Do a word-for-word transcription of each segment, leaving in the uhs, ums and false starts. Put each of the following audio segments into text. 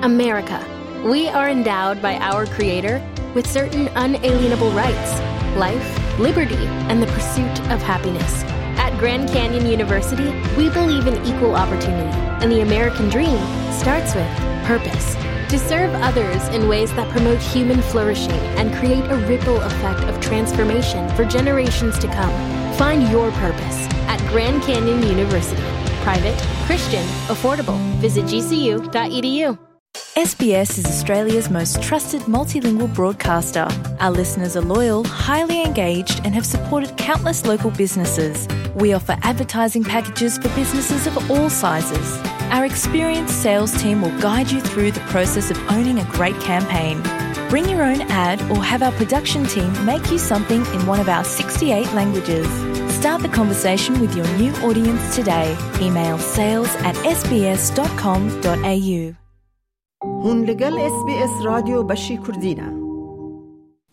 America. We are endowed by our Creator with certain unalienable rights: life, liberty, and the pursuit of happiness. At Grand Canyon University, we believe in equal opportunity, and the American dream starts with purpose. To serve others in ways that promote human flourishing and create a ripple effect of transformation for generations to come. Find your purpose at Grand Canyon University. Private, Christian, affordable. Visit G C U dot E D U. S B S is Australia's most trusted multilingual broadcaster. Our listeners are loyal, highly engaged, and have supported countless local businesses. We offer advertising packages for businesses of all sizes. Our experienced sales team will guide you through the process of owning a great campaign. Bring your own ad or have our production team make you something in one of our sixty-eight languages. Start the conversation with your new audience today. Email sales at S B S dot com dot A U. Hûn li gel S B S Radyo Beşî Kurdî ne.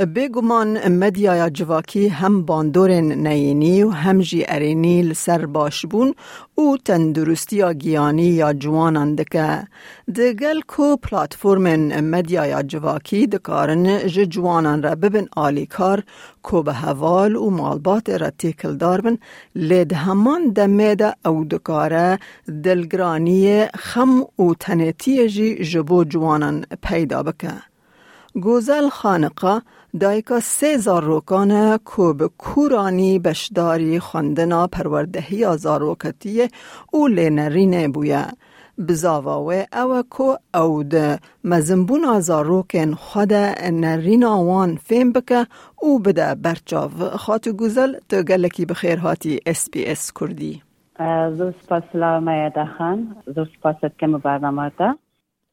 Bêguman medyaya civakî hem bandorên neyênî û hem jî erênî li ser başbûn û tenduristiya giyanî ya ciwanan dike. Di gel ku platformên medyaya civakî dikarin ji ciwanan re bibin alîkar, ku bi heval û malbatê re têkildar bin, lê di heman demê de ew dikare dilgiraniyê, xem û tenêtiyê jî ji bo ciwanan peyda bike. Gozel Xaniqa dayika sê zarokan e ku bi kûranî beşdarî xwendina perwerdehiya zaroketiyê û lênerînê bûye. Bizava wê ew e ku ew di mezinbûna zarokên xwe de nerîna wan fêm bike û bide berçav. Xatû Gozel, tu gelekî bi xêr hatî S B S Kurdî. Zor spas, silav me ye Daxan. Zor spas dikim bi bernama te.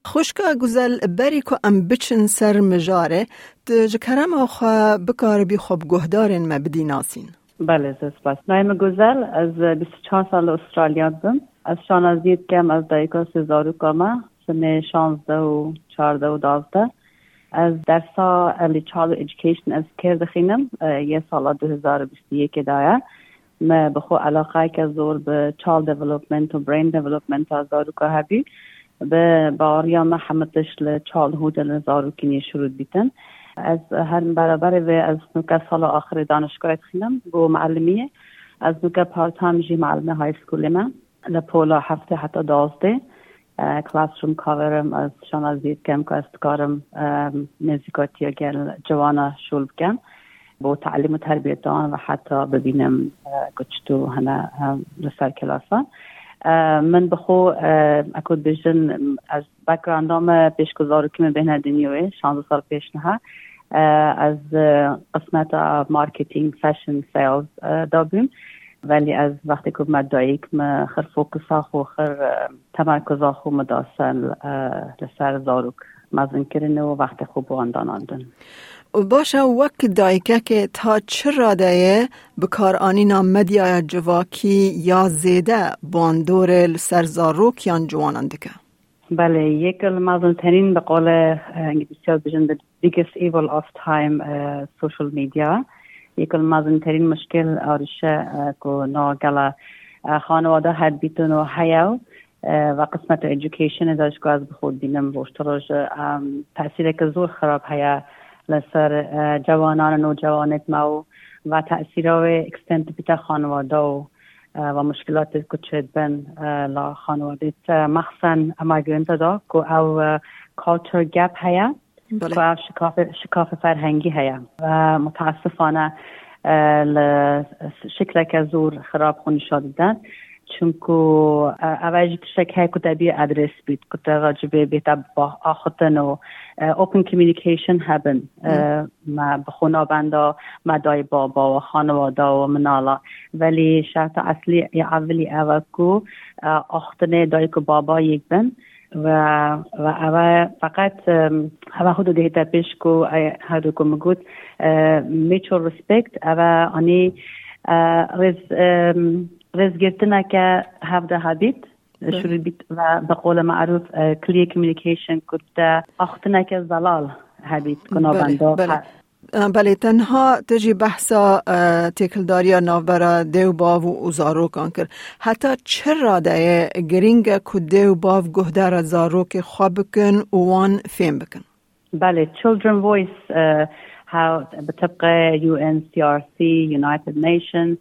Xwişka Guzel, berî ku em biçin ser mijarê, tu ji kerema xwe bikaribî xwe bi guhdarên me bidî nasîn? Belê, zor spas. Navê min Guzel, ez bîst û çar sal li Australya dibim. Ez şanaziyê dikem, ez dayika sê zaroka me, sinê şazdeh û çardeh û duwazdeh. Ez dersa Early Childhood Education ez kêr dixînim, e, yê sala du hezar û bîst û yekê de ye. Me bi xwe eleqeyeke zor bi child development û brain development a zaroka hebî. Bi baweriya me heme tişt li childhood e, li zarokînê şirû dibîtin. Ez her beraberê vê ez nuke sala axirê danişgahê dixînim bo melimiyê. Ez nuke part-time jî melimê high schoolê me. Li pola heftê heta duwazdeh, e, classroom cover im, ez şanaziyê dikim ku ez dikarim, e, nêzîkatiya gel ciwana şûl bikim. Bo telim û terbiyeta wan ve heta bibînim, e, ku çito hene, e, li ser kilasan. E, min bi xwe, e, eku dibêjin, ez backgrounda me pêş ku zarokî min bêhne dinyayê, şazdeh sal pêş niha, e, ez, e, qismeta marketing, fashion sales, e, da bûm. Belê ez wextê ku me dayik, me xir fokusa xwe, xir, e, temerkuza xwe me da ser, e, li ser zarok mezinkirin û wextê xwe bi wan danandin. Û baş e, wek dayikekê ta çi radeyê bikaranîna medyaya civakî ya zêde bandorê li ser zarok yan ciwanan dike? Belê, yek li mezinterîn bi qolê, e, îngilîzce dibêjin the biggest evil of time, e, social media. Yek li mezinterîn muşkil arîşe, e, ku no gela, e, xanewada hedbîtin û heye û, e, ve qismeta educationê de ji ku ez bi xwe dibînim roj ti roj, e, tesîreke zor xirab heye li ser, e, cewanan û nocewanêt me û ve tesîra wê extend dibîte xanewada û e, ve muşkilatê ku çêdibin, e, la xanewedê te mexsen ema girînte da ku ew, e, culture gap heye, Belê. Ku ev şikafê, şikafê ferhengî heye. Ve mutesifane, e, li şikleke zor xirab xwe nîşan dide. Çunku, e, ev jî tiştek heye ku te bê adres bît, ku te racibê bê te ba-, axiftin û, e, open communication hebin. E, Hı. Me bi xwe navenda me dayê baba û xanewada û minala. Belê şerta eslî ya evilî ev e ku, e, axtinê dayik û baba yek bin ve, ve ev e feqet, em, ev e hûdû dihête pêş ku, e, her du ku min got, e, mutual respect, ev e anî, e, rêz, em, rêzgirtineke hevde hebît, Belê. Şirû bît ve bi qolê merûf, e, clear communication ku te axtineke zelal hebît ku Belê, navenda belê. He-, Belê, tenha te jî behsa, e, têkildariya navbera dê û bav û, û zarokan kir. Heta çi radeyê girîng e ku dê û bav guhdara zarokê xwe bikin û wan fêm bikin? Belê, Children Voice, e, ha, bi tibqê U N C R C, United Nations,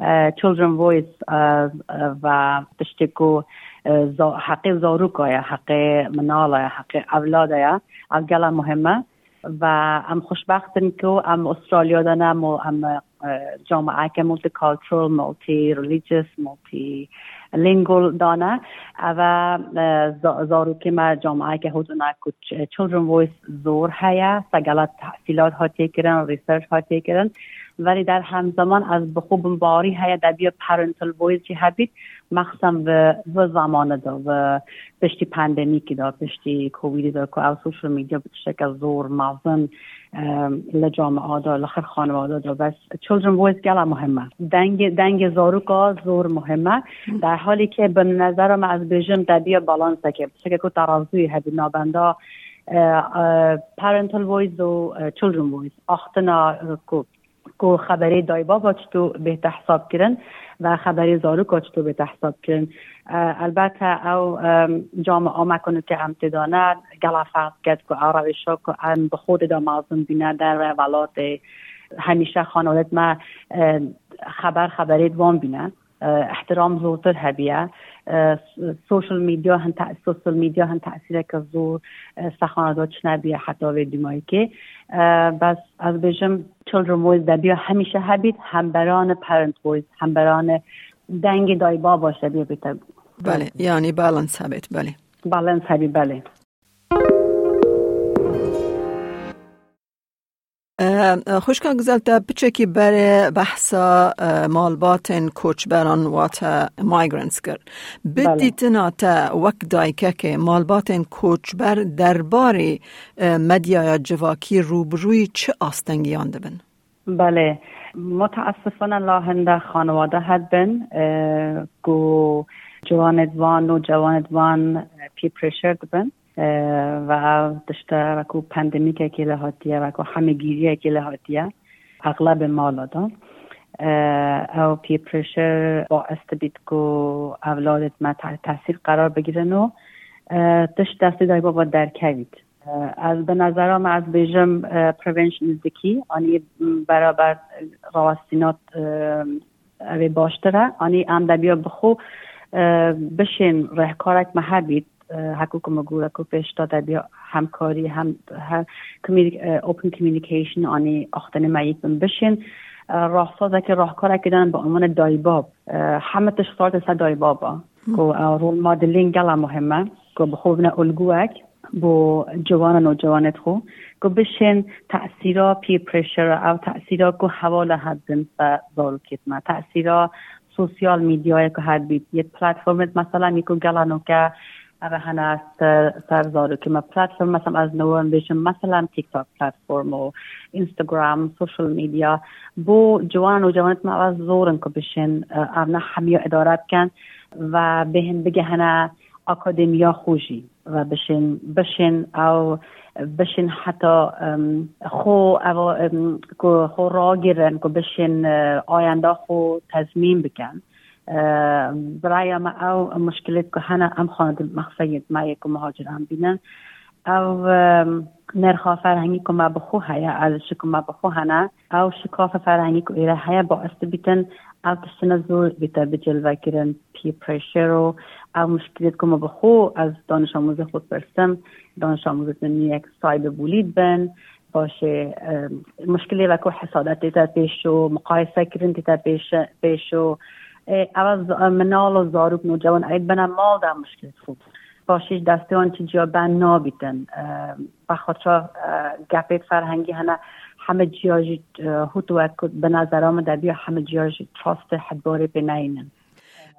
e, Children Voice, e, e, ve tiştê ku, e, za-, heqê zaroka ye, heqê minala ye, heqê evlada ye, ev gela muhim e. Ve em xweşbext in ku em Australya de ne, mo-, em, e, camiayeke multicultural, multi-religious, multilingual de ne. Ev e, e, za-, zarokê me camiayeke hozin e ku ç-, Children Voice zor heye, segela tehsîlat hatiye kirin, research hatiye kirin. Velê der hemzeman ez bi xwe bimbarî heye, debiya parental voice jî hebît, mexsem bi, bi zamanê de, bi piştî pandemîkê de, piştî Covidê de ku ew social media bi tişteke zor mezin, em, li camia de, li xir xanewada de, bes Children Voice gela muhim e. Dengê, dengê zaroka zor muhim e. Der halê ke bi nezera me ez bêjim debiya balanseke, tişteke ku terazûyê hebî nabenda, e, e, parental voice û, e, children voice. Axtina, e, ku ku xeberê daybaba çito bête hesab kirin ve xeberê zaroka çito bête hesab kirin. E, elbette ew, e, camia me ku nuke em tê de ne, gela ferq diket ku ew rewşa ku em bi xwe tê de mezin bîne derve welatê, hemîşe xanewalêt me, e, xeber xeberê di wan bîne. E, ihtiram zortir hebiye. E, s-, social media hin te-, social media hin tesîreke zor, e, sexana da çine biye heta vê dîmayîkê. E, bes ez bêjim Children Voice debiya hemîşe hebît, hemberane Parent Voice, hemberane dengê daybaba jî debiya bête. Belê, yanî balance hebêt, belê. Balance hebî, belê. E, e, xwişka Guzel, te piçekî berê behsa, e, malbatên koçberan, wate migrants kir. Bi Belê. dîtina te wek dayikekê, malbatên koçber derbarê, e, medyaya civakî rûbirûyî çi astengiyan dibin? Belê. Mutesifane la hinde xanewade hedbin, e, ku ciwanêd van û cewanêd van, e, peer pressure dibin. E, ve ev tişte wekû pandemîkekê lê hatiye, wekû hemegîriyekê lê hatiye, exlebê mala de. E, ew peer pressure baes dibît ku evladêt me te-, tehsîl qerar bigirin û, e, tişt destê daybaba derkevît. E, ez bi nezera me ez bêjim, e, prevention is the key, anî beraber rawestînat, e, ev ê baştir e. Anî em debiya bi xwe, e, bişên rêhkarek me hebît, e, hekû ku min got, ku pêş de debiya hemkarî, hem, he, communi-, e, open communication, anî axtinê me yek bin bişên, e, raxsazekî rêhkarekî dan bi unwanê daybab. E, heme tişt xalte ser daybab e. Ku, e, rol modelîn gela muhim e. Ku bi xwe bine ulgûyek bo ciwan û newcewanêt xwe, ku bişên tesîra peer pressure, ew tesîra ku hevala hedin ser zarokêt me, tesîra sosyal medyayê ku hedbît, yê platformêt mesela mî ku gela nûke ev hene ser, ser zarokê me. Platform mesela ez newin bêjim mesela TikTok platform û Instagram, social media. Bo ciwan û newcewanêt me ev zor in ku bişên, e, ev ne hemiya îdare bikin ve bêhin bigihine akademiya xwe jî. Ve bişên, bişên ew, bişên heta, em, xwe ev, em, ku xwe ragirin, ku bişên, e, ayenda xwe tezmîn bikin. E, bi raya me ew muşkilêt ku hene em xwe di mexseyêt me yê ku muhacir em bînin. Ew, em, nirxa ferhengî ku me bi xwe heye, erzişê ku me bi xwe hene, ew şikafa ferhengî ku êre heye, baes dibîtin ew tiştine zor bîte bicilvekirin, peer pressure û ew muşkilêt ku me bi xwe ez danişamûzê xwe dipirsim, danişamûzê min yek cyberbully bin, paşê, e, muşkilê wekû hesadetê te pêş û muqayese kirin tê te pêş, pêş û, e, ev ez, e, minal û zarok nûcewan êd bine mal de muşkilêt xwe. Paşê ji destê wan çi ciya ben nabîtin. E, vexwe ça, e, gepêt ferhengî hene, heme ciya jî, e, hût wek bi nezera min debiya heme ciya jî trustê hedbarê pê neynin.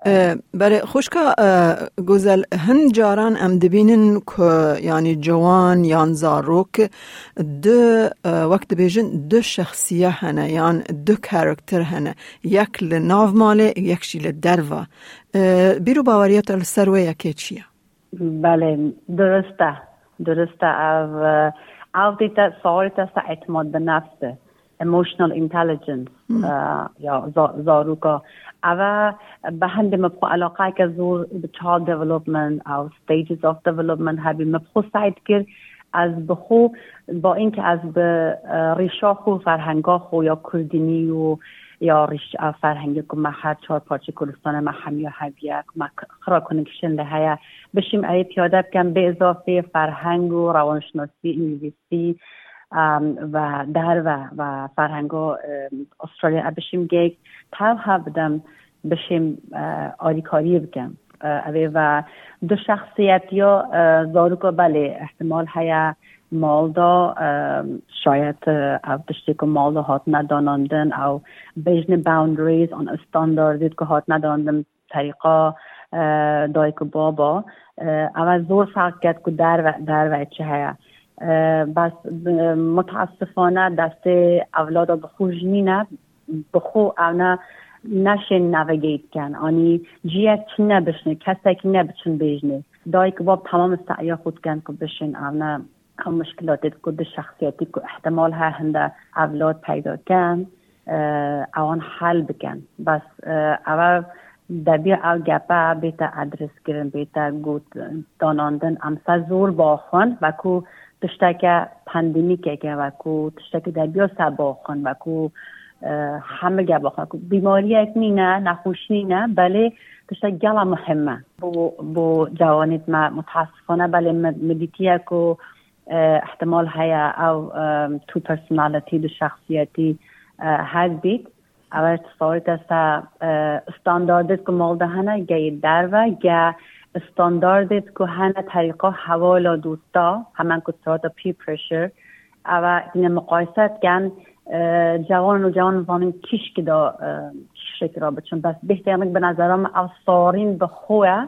E, belê, xwişka, e, Gozel, hin caran em dibînin ku, yanî, ciwan yan zarok du, e, wek dibêjin, du şexsiye hene yan du karakter hene. Yek li nav malê, yek jî li derva. E, bîr û baweriya te li ser wê yekê çi ye? Belê, durist e. Durist e ev, e, Ew tê te, sawirê te sa etimad bi nefs e, emotional intelligence, Hmm. e, ya za-, zaroka. Eve bi hindê min bi xwe eleqeyeke zor bi child development, ew stages of development hebî min bi xwe sey dikir. Ez bi xwe, ba înke ez bi, e, rîşa xwe, ferhenga xwe ya kurdînî û ya rîş-, ev ferhengê ku me her çar parçeyê Kurdistanê me hemiya hebiye, ku me k-, xira connection li heye, bişîm ewê piyade bikem, bê izafê ferheng û rewanşinasî, îngilîzî, em, ve derve ve ferhengo, em, Australia, e, bişîm geyik tev hev bidim, bişîm, e, alîkariyê bikim. E, evê ve du şexsiyetiya, e, zaroka belê ihtimal heye mal da, e, şayet, e, ev tiştê ku mal da hatine danandin, ew bêjne boundaries an standardêt ku hatine danandin terîqa, e, dayik û baba, e, ev zor ferq ket ku derve, derve çi heye. E, bes, e, mutesifane destê evlada bi xwe jî nîne, bi xwe ew ne, neşên navigate ken. Anî ciyek çi nebişne, kesek nebiçin bêjnê. Dayik û bab temam seya xwe dikin ku bişên ew ne, ew muşkilatê ku di şexsiyetî ku ihtimal heye hinde evlad peyda ken, e, ewan hel bikin. Bes, e, ew debiya ew gepe bête adres kirin, bête got, danandin, em ser zor baxwin, veku tişteke pandemîkeke, veku tişteke debiya ser baxwin, veku, e, hemige baxwin, ku bîmariyek nîne, nexweşî nîne, belê tiştek gela muhim e. Bo, bo cawanêt me, mutesifane, belê me, me dîtiye ku, e, ihtimal heye ew, e, tu personality, du şexsiyetî, e, hebît. Ew tesawirê te se, e, standardêt ku mal de hene, geyê derve, ge standardêt ku hene terîqa hevala dosta, hemen ku sirata peer pressure, ew tîne muqayese dikin, e, cawan û cawan zanin kîşkî da, e, kîşkî ra biçin. Bes bêhtiyanik bi nezera min ev sarîn bi xwe ye,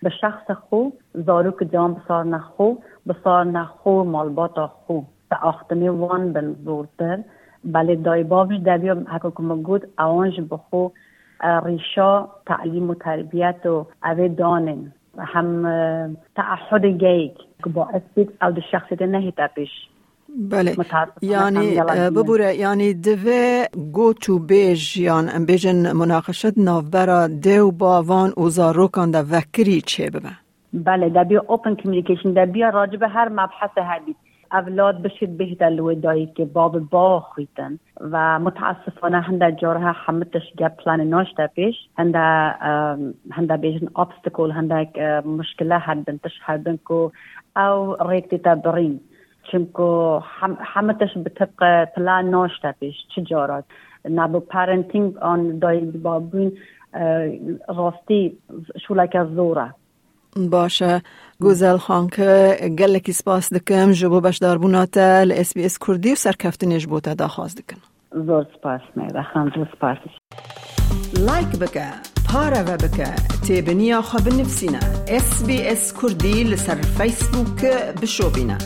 bi şexsa xwe, zarok û cawan bisarine xwe, bisarine xwe, malbata xwe. Te axtimê wan bin zortir. Belê dayî bav jî debiya heke ku min got, ewan jî bi xwe, e, rîşa telîm û terbiyet û evê danên. Hem, e, teahudê geyik ku baez bît, ew di şexsiyetê nehête pêş. Belê. Mutesifane Yani, hem yalan e, bibûre, yani divê got û bêj yan, em bêjin munaqeşet navbera dê û bavan û zarokan de vekirî çêbibe. Belê, debiya open communication, debiya racibê her mebhesê hebît. Evlad bişît bihte li wê dayikê, babê bawa xwîtin. Ve mutesifane hinde cara hemû tişt gel planê naşte pêş. Hinde, em, hinde bêjin obstacle, hindek, e, muşkile hebin, tişt hebin ku ew rêk dîte birîn. Çimku hem-, hemû tişt bi tibqe plan naşte pêş, çi cara. Nabo parenting an dayik babûn, e, rastî şûleke zor e. Baş e. Gozel Xanke, gelekî spas dikim ji bo beşdarbûna te li S B S Kurdî û serkeftinê ji bo te daxwaz dikin. Zor spas, Mehda Xan, zor spas. Like bike, pareve bike, têbiniya xwe binivîsîne. S B S Kurdî li ser Facebook bişopîne.